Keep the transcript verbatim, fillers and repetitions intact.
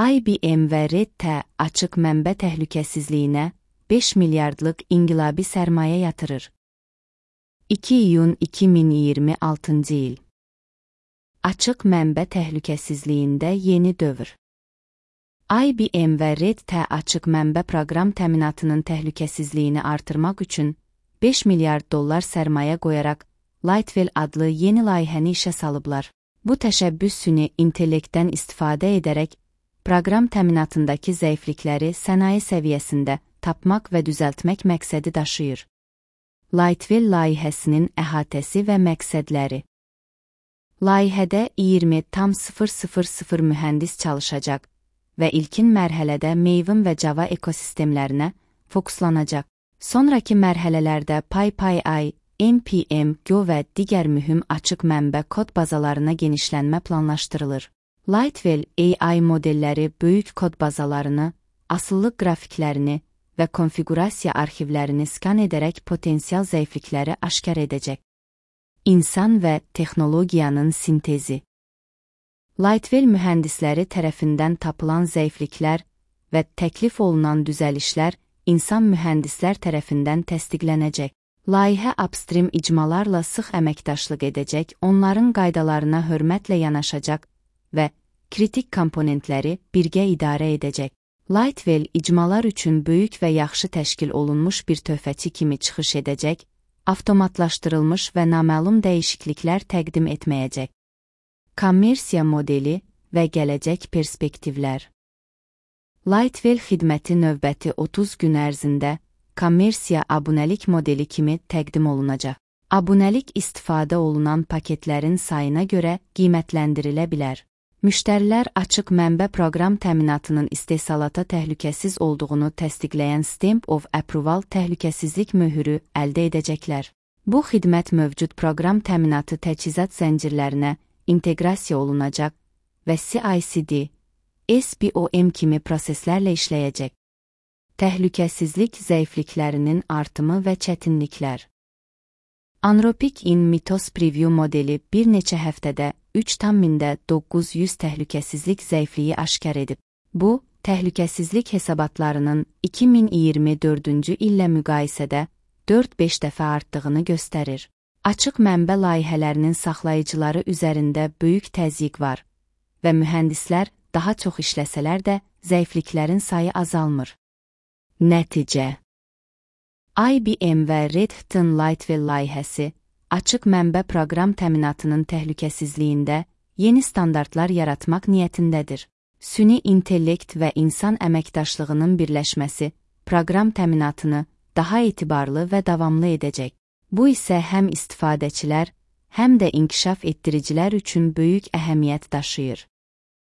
I B M və Red Hat açıq mənbə təhlükəsizliyinə beş milyardlıq inqilabi sərmayə yatırır. iki iyun iki min iyirmi altıncı il. Açıq mənbə təhlükəsizliyində yeni dövr. I B M və Red Hat açıq mənbə proqram təminatının təhlükəsizliyini artırmaq üçün beş milyard dollar sərmayə qoyaraq Lightwell adlı yeni layihəni işə salıblar. Bu təşəbbüs süni intellektdən istifadə edərək proqram təminatındakı zəiflikləri sənaye səviyyəsində tapmaq və düzəltmək məqsədi daşıyır. Lightwell layihəsinin əhatəsi və məqsədləri. Layihədə iyirmi min mühəndis çalışacaq və ilkin mərhələdə Maven və Java ekosistemlərinə fokuslanacaq. Sonraki mərhələlərdə PyPI, N P M, Go və digər mühüm açıq mənbə kod bazalarına genişlənmə planlaşdırılır. Lightwell A I modelləri böyük kod bazalarını, asıllıq qrafiklərini və konfigurasiya arxivlərini skan edərək potensial zəiflikləri aşkar edəcək. İnsan və texnologiyanın sintezi. Lightwell mühəndisləri tərəfindən tapılan zəifliklər və təklif olunan düzəlişlər insan mühəndislər tərəfindən təsdiqlənəcək. Layihə upstream icmalarla sıx əməkdaşlıq edəcək, onların qaydalarına hörmətlə yanaşacaq və kritik komponentləri birgə idarə edəcək. Lightwell icmalar üçün böyük və yaxşı təşkil olunmuş bir töhfəçi kimi çıxış edəcək, avtomatlaşdırılmış və naməlum dəyişikliklər təqdim etməyəcək. Kommersiya modeli və gələcək perspektivlər. Lightwell xidməti növbəti otuz gün ərzində kommersiya abunəlik modeli kimi təqdim olunacaq. Abunəlik istifadə olunan paketlərin sayına görə qiymətləndirilə bilər. Müştərilər açıq mənbə proqram təminatının istehsalata təhlükəsiz olduğunu təsdiqləyən Stamp of Approval təhlükəsizlik möhürü əldə edəcəklər. Bu xidmət mövcud proqram təminatı təchizat zəncirlərinə inteqrasiya olunacaq və C I C D, S B O M kimi proseslərlə işləyəcək. Təhlükəsizlik zəifliklərinin artımı və çətinliklər. Anthropic in Mythos Preview modeli bir neçə həftədə üç min doqquz yüz təhlükəsizlik zəifliyi aşkar edib. Bu, təhlükəsizlik hesabatlarının iki min iyirmi dördüncü illə müqayisədə dörd beş dəfə artdığını göstərir. Açıq mənbə layihələrinin saxlayıcıları üzərində böyük təzyiq var və mühəndislər daha çox işləsələr də zəifliklərin sayı azalmır. Nəticə. I B M və Red Hat'ın Lightwell layihəsi, açıq mənbə proqram təminatının təhlükəsizliyində yeni standartlar yaratmaq niyyətindədir. Süni intellekt və insan əməkdaşlığının birləşməsi proqram təminatını daha etibarlı və davamlı edəcək. Bu isə həm istifadəçilər, həm də inkişaf etdiricilər üçün böyük əhəmiyyət daşıyır.